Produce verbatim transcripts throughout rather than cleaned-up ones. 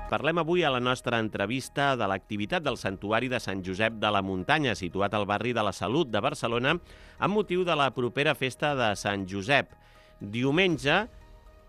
Parlem avui a la nostra entrevista de l'activitat del Santuari de Sant Josep de la Muntanya, situat al barri de la Salut de Barcelona, amb motiu de la propera festa de Sant Josep. Diumenge,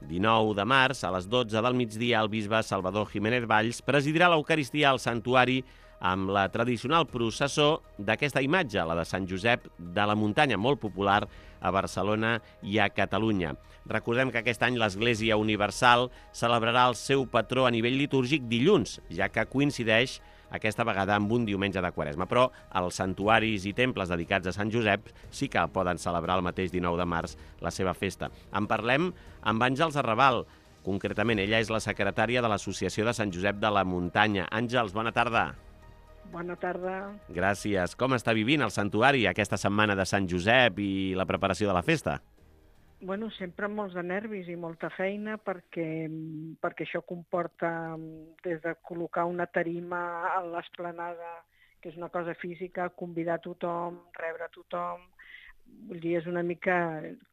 dinou de març, a les dotze del migdia, el bisbe Salvador Jiménez Valls presidirà l'Eucaristia al Santuari amb la tradicional processó d'aquesta imatge, la de Sant Josep de la Muntanya, molt popular a Barcelona i a Catalunya. Recordem que aquest any l'Església Universal celebrarà el seu patró a nivell litúrgic dilluns, ja que coincideix aquesta vegada amb un diumenge de Quaresma. Però els santuaris i temples dedicats a Sant Josep sí que poden celebrar el mateix dinou de març la seva festa. En parlem amb Àngels Arrabal. Concretament, ella és la secretària de l'Associació de Sant Josep de la Muntanya. Àngels, bona tarda. Bona tarda. Gràcies. Com està vivint el santuari aquesta setmana de Sant Josep i la preparació de la festa? Bueno, sempre amb molts de nervis i molta feina perquè, perquè això comporta des de col·locar una tarima a l'esplanada, que és una cosa física, convidar tothom, rebre tothom. Vull dir, és una mica...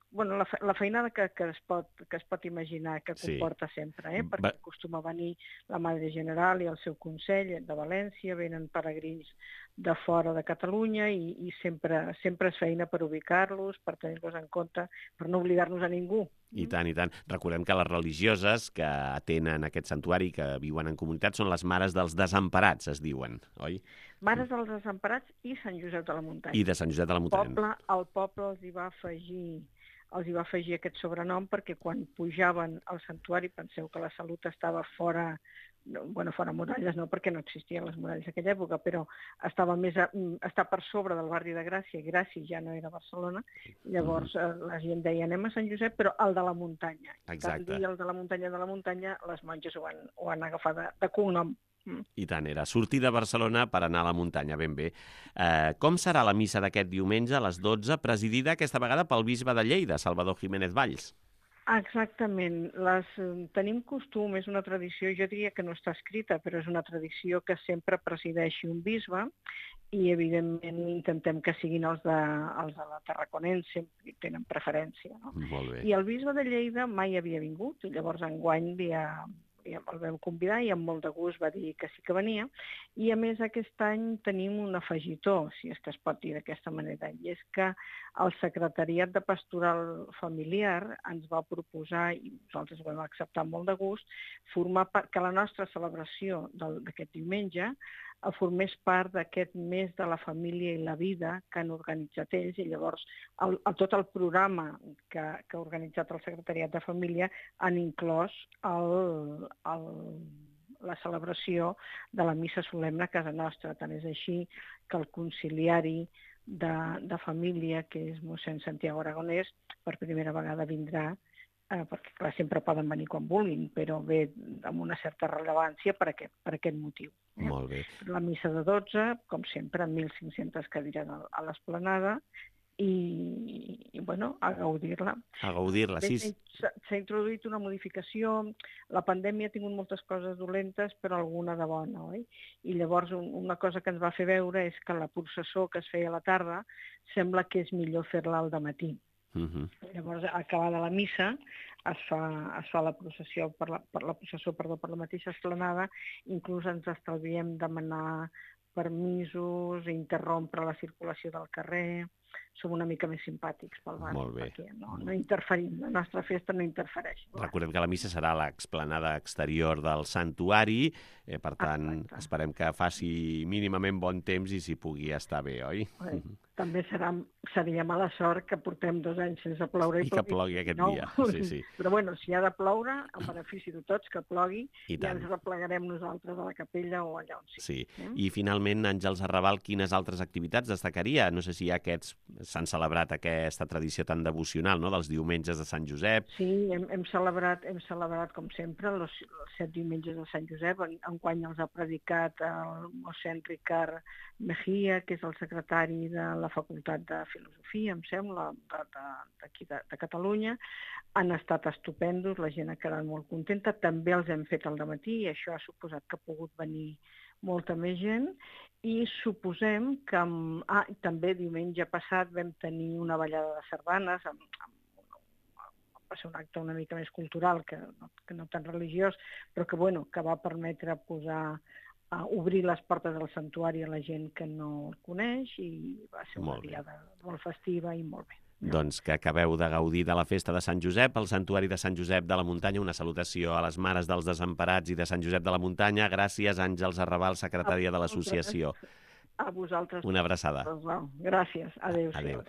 Bueno, la, fe, la feinada que, que, es pot, que es pot imaginar que comporta sí. sempre, eh? perquè Va... acostuma a venir la Madre General i el seu Consell de València, venen peregrins de fora de Catalunya i, i sempre, sempre és feina per ubicar-los, per tenir-los en compte, per no oblidar-nos a ningú. I tant, i tant. Recordem que les religioses que atenen aquest santuari, que viuen en comunitat, són les mares dels desemparats, es diuen, oi? Mares dels desemparats i Sant Josep de la Muntanya. I de Sant Josep de la Muntanya. El poble, el poble els hi va afegir... els hi va afegir aquest sobrenom perquè quan pujaven al santuari, penseu que la Salut estava fora, bueno, fora muralles, no, perquè no existien les muralles en aquella època, però estava més a, està per sobre del barri de Gràcia, i Gràcia ja no era Barcelona, llavors mm. la gent deia anem a Sant Josep, però al de la muntanya. Exacte. I el de la muntanya de la muntanya, les monges ho han, ho han agafat de, de cognom. I tant, era sortir de Barcelona per anar a la muntanya, ben bé. Eh, com serà la missa d'aquest diumenge a les dotze, presidida aquesta vegada pel bisbe de Lleida, Salvador Jiménez Valls? Exactament. Les, tenim costum, és una tradició, jo diria que no està escrita, però és una tradició que sempre presideixi un bisbe i, evidentment, intentem que siguin els de, els de la Tarraconense, sempre tenen preferència. No? Molt bé. I el bisbe de Lleida mai havia vingut, i llavors enguany li ha... el vam convidar i amb molt de gust va dir que sí que venia. I a més aquest any tenim un afegitó, si és que es pot dir d'aquesta manera, i és que el Secretariat de Pastoral Familiar ens va proposar, i nosaltres ho vam acceptar amb molt de gust, formar part, que la nostra celebració d'aquest diumenge formés part d'aquest mes de la família i la vida que han organitzat ells, i llavors el, el, tot el programa que, que ha organitzat el Secretariat de Família han inclòs el, el, la celebració de la missa solemne a casa nostra. Tant és així que el conciliari de, de família, que és mossèn Santiago Aragonès, per primera vegada vindrà, eh, perquè clar, sempre poden venir quan vulguin, però ve amb una certa rellevància per aquest, per aquest motiu. Eh? Molt bé. La missa de dotze, com sempre, amb mil cinc-centes cadires a l'esplanada, i, i bueno, a gaudir-la. A gaudir-la, sí. S'ha introduït una modificació, la pandèmia ha tingut moltes coses dolentes, però alguna de bona, oi? I llavors una cosa que ens va fer veure és que la processó que es feia a la tarda sembla que és millor fer-la al dematí. Uh-huh. Llavors, acabada la missa, es fa, es fa la processió per la, per la processó, perdó, per la mateixa esplanada, inclús ens estalviem demanar permisos, interrompre la circulació del carrer, som una mica més simpàtics pel barri. Molt bé. Perquè no, no interferim, la nostra festa no interfereix. Recordem que la missa serà a l'explanada exterior del santuari, eh, per tant, exacte, esperem que faci mínimament bon temps i s'hi pugui estar bé, oi? Bé, també serà, seria mala sort que portem dos anys sense ploure i, I que plogui aquest no? dia. Sí, sí. Però bueno, si ha de ploure, en benefici de tots, que plogui, i, I ja ens replegarem nosaltres a la capella o allà on sigui. Sí. Eh? I finalment, Àngels Arrabal, quines altres activitats destacaria? No sé si aquests s'han celebrat aquesta tradició tan devocional, no?, dels diumenges de Sant Josep. Sí, hem, hem, celebrat, hem celebrat, com sempre, els, els set diumenges de Sant Josep. En, enguany els ha predicat el mossèn Ricard Mejía, que és el secretari de la Facultat de Filosofia, em sembla, d'aquí de, de, de Catalunya. Han estat estupendos, la gent ha quedat molt contenta. També els hem fet al dematí i això ha suposat que ha pogut venir molta més gent, i suposem que... Ah, també diumenge passat vam tenir una ballada de sardanes amb, amb, amb va ser un acte una mica més cultural que no, que no tan religiós, però que, bueno, que va permetre posar, a obrir les portes del santuari a la gent que no el coneix i va ser una diada molt festiva i molt bé. Doncs que acabeu de gaudir de la festa de Sant Josep, el Santuari de Sant Josep de la Muntanya. Una salutació a les mares dels desemparats i de Sant Josep de la Muntanya. Gràcies, Àngels Arrabal, secretària de l'associació. A vosaltres. Una abraçada. Gràcies. Adéu. Adéu.